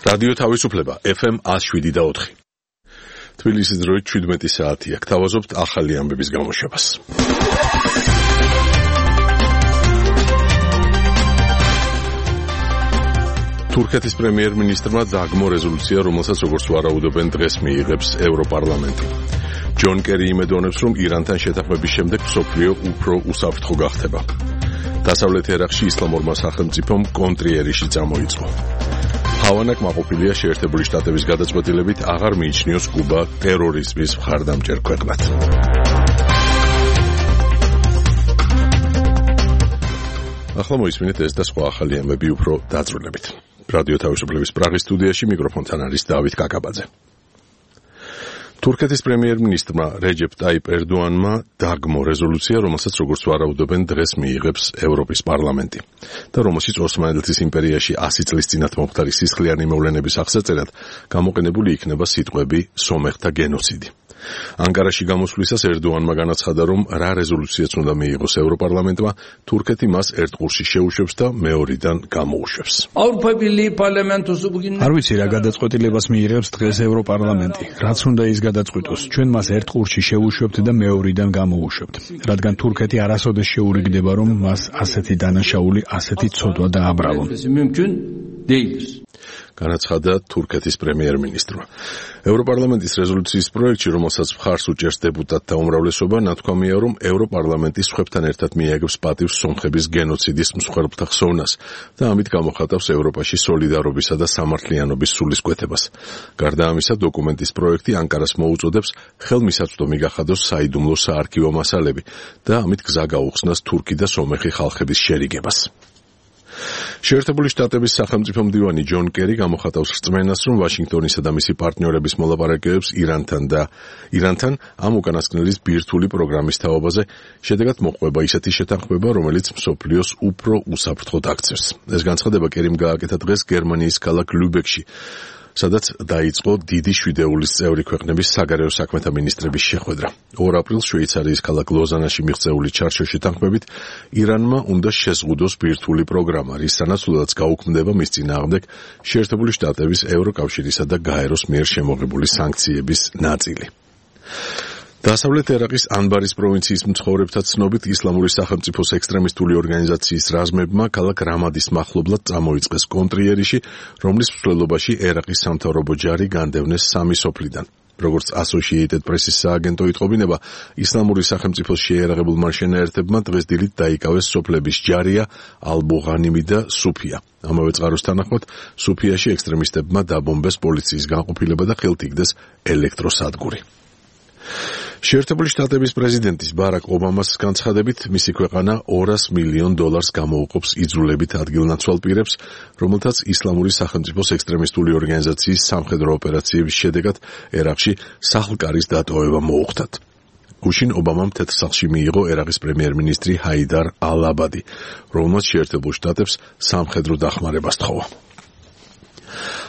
რადიო თავისუფლება FM 107.4. თბილისის დროით 17 საათია. გთავაზობთ ახალი ამბების გამოშვებას. თურქეთის პრემიერ-მინისტრმა დააგმო რეზოლუცია, რომელსაც როგორც ვარაუდობენ დღეს მიიღებს ევროპარლამენტი. ჯონ კერი იმედოვნებს, რომ ირანთან შეთანხმების შემდეგ მსოფლიო უფრო უსაფრთხო გახდება. დასავლეთ ერაყში ისლამურმა სახელმწიფომ კონტრიერიში წამოიწყო. ჰავანა კმაყოფილია შეერთებული შტატების გადაწყვეტილებით აღარ მიიჩნიოს კუბა ტერორიზმის მხარდამჭერ ქვეყნად. ახლა მოისმინეთ ეს და სხვა ახალი ამბები უფრო დაწვრილებით. რადიო თავისუფლების პრაღის სტუდიაში მიკროფონთან არის დავით კაკაბაძე. თურქეთის პრემიერ-მინისტრმა რეჯეპ ტაიპ ერდოანმა დააგმო რეზოლუცია, რომელსაც როგორც ვარაუდობენ დღეს მიიღებს ევროპის პარლამენტი და რომელშიც ოსმალეთის იმპერიაში 100 წლის წინათ მომხდარი სისხლიანი მოვლენების აღსაწერად გამოყენებული იქნება სიტყვები სომეხთა გენოციდი. ანკარაში გამოსვლისას ერდოანმა განაცხადა, რომ რა რეზოლუციაც უნდა მიიღოს ევროპარლამენტმა, თურქეთი მას ერთ ყურში შეუშვებს და მეორიდან გამოუშვებს. არ ვიცი რა გადაწყვეტილებას მიიღებს დღეს ევროპარლამენტი. რაც უნდა ის გადაწყვიტოს, ჩვენ მას ერთ ყურში შევუშვებთ და მეორიდან გამოუშვებთ. რადგან თურქეთი არასოდეს შეურიგდება, რომ მას ასეთი დანაშაული, ასეთი ცოდვა დააბრალონ. განაცხადა თურქეთის პრემიერ-მინისტრმა. ევროპარლამენტის რეზოლუციის პროექტში, რომელსაც მხარს უჭერს დეპუტატთა უმრავლესობა, ნათქვამია, რომ ევროპარლამენტი სხვებთან ერთად მიაგებს პატივს სომხების გენოციდის მსხვერპლთა ხსოვნას და ამით გამოხატავს ევროპაში სოლიდარობისა და სამართლიანობის სულისკვეთებას. გარდა ამისა, დოკუმენტის პროექტი ანკარას მოუწოდებს ხელმისაწვდომი გახადოს საიდუმლო საარქივო მასალები და ამით გზა გაუხსნას თურქი და სომეხი ხალხების შერიგებას. შეერთებული შტატების სახელმწიფო მდივანი ჯონ კერი გამოხატავს რწმენას, რომ ვაშინგტონისა და მისი პარტნიორების მოლაპარაკებებს ირანთან ამ უკანასკნელის ბირთვული პროგრამის თაობაზე შედეგად მოყვება ისეთი შეთანხმება, რომელიც მსოფლიოს უფრო უსაფრთხოდ აქცევს. ეს განცხადება კერიმ გააკეთა დღეს გერმანიის ქალაქ ლუბეკში, სადაც დაიწყო დიდი შვიდეულის წევრი ქვეყნების საგარეო საქმეთა მინისტრების შეხვედრა. 2 აპრილს შვეიცარიის ქალაქ ლოზანაში მიღწეული ჩარჩო შეთანხმებით ირანმა უნდა შეზღუდოს ბირთვული პროგრამა, რის სანაცვლოდაც გაუქმდება მის წინააღმდეგ შეერთებული შტატების, ევროკავშირისა და გაეროს მიერ შემოღებული სანქციების ნაწილი. დასავლეთ ერაყის ანბარის პროვინციის მცხოვრებთა ცნობით ისლამური სახელმწიფოს ექსტრემისტული ორგანიზაციის რაზმებმა ქალაქ რამადის მახლობლად წამოიწყეს კონტრიერიში, რომლის მსვლელობაში ერაყის სამთავრობო ჯარი განდევნეს 3 სოფლიდან. როგორც Associated Press-ის სააგენტო იტყობინება, ისლამური სახელმწიფოს შეიარაღებულმა შენაერთებმა დღეს დილით დაიკავეს სოფლების ჯარია, ალბუღანიმი და სუფია. ამავე წყაროს თანახმად, სუფიაში ექსტრემისტებმა დაბომბეს პოლიციის განყოფილება და ხელთ იგდეს ელექტროსადგური. შეერთებული შტატების პრეზიდენტის ბარაკ ობამას განცხადებით, მისი ქვეყანა $200 მილიონ გამოუყოფს იძულებით ადგილნაცვალ პირებს, რომელთაც ისლამური სახელმწიფოს ექსტრემისტული ორგანიზაციის სამხედრო ოპერაციების შედეგად ერაყში სახლ-კარის დატოვება მოუხდათ. გუშინ ობამამ თეთრსახლში მიიღო ერაყის პრემიერ-მინისტრი ჰაიდარ ალ-აბადი, რომელმაც შეერთებულ შტატებს სამხედრო დახმარება სთხოვა.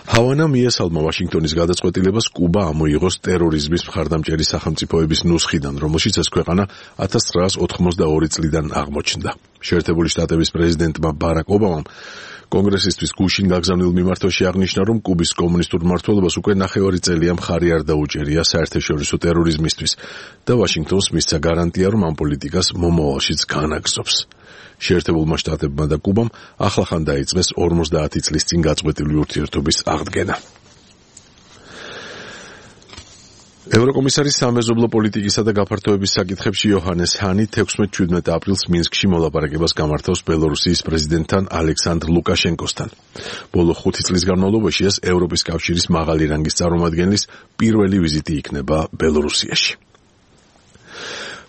ჰავანა მიესალმა ვაშინგტონის გადაწყვეტილებას კუბა ამოიღოს ტერორიზმის მხარდამჭერი სახელმწიფოების ნუსხიდან, რომელშიც ეს ქვეყანა 1982 წლიდან აღმოჩნდა. შეერთებული შტატების პრეზიდენტმა ბარაკ ობამამ კონგრესისთვის გუშინ გაგზავნილ მიმართვაში აღნიშნა, რომ კუბის კომუნისტურ მმართველობას უკვე 9 წელია მხარი არ დაუჭერია საერთაშორისო ტერორიზმისთვის და ვაშინგტონს მისცა გარანტია, რომ ამ პოლიტიკას მომავალშიც განაგრძობს. შეერთებულმა შტატებმა და კუბამ ახლახან დაიწყეს 50 წლის წინ გაწყვეტილი ურთიერთობის აღდგენა. ევროკომისარის სამეზობლო პოლიტიკისა და გაფართოების საკითხებში იოჰანეს ჰანი 16-17 აპრილს მინსკში მოლაპარაკებას გამართავს ბელორუსიის პრეზიდენტთან ალექსანდრ ლუკაშენკოსთან. ბოლო 5 წლის განმავლობაში ეს ევროპის კავშირის მაღალი რანგის წარმომადგენლის პირველი ვიზიტი იქნება ბელორუსიაში.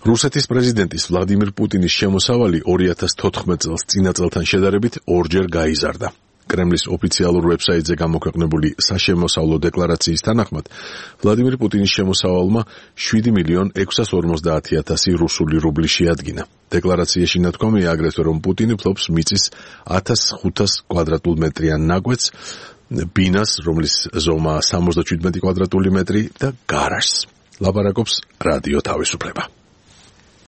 რუსეთის პრეზიდენტის ვლადიმირ პუტინის შემოსავალი 2014 წელს წინა წელთან შედარებით 2-ჯერ გაიზარდა. კრემლის ოფიციალურ ვებსაიტზე გამოქვეყნებული საშემოსავლო დეკლარაციის თანახმად, ვლადიმირ პუტინის შემოსავალმა 7,650,000 რუსული რუბლი შეადგინა. დეკლარაციაში ნათქვამია აგრეთვე, რომ პუტინი ფლობს მიწის 1500 კვადრატულ მეტრიან ნაკვეთს, ბინას, რომლის ზომა 77 კვადრატული მეტრი და გარაჟს. ლაპარაკობს რადიო თავისუფლება.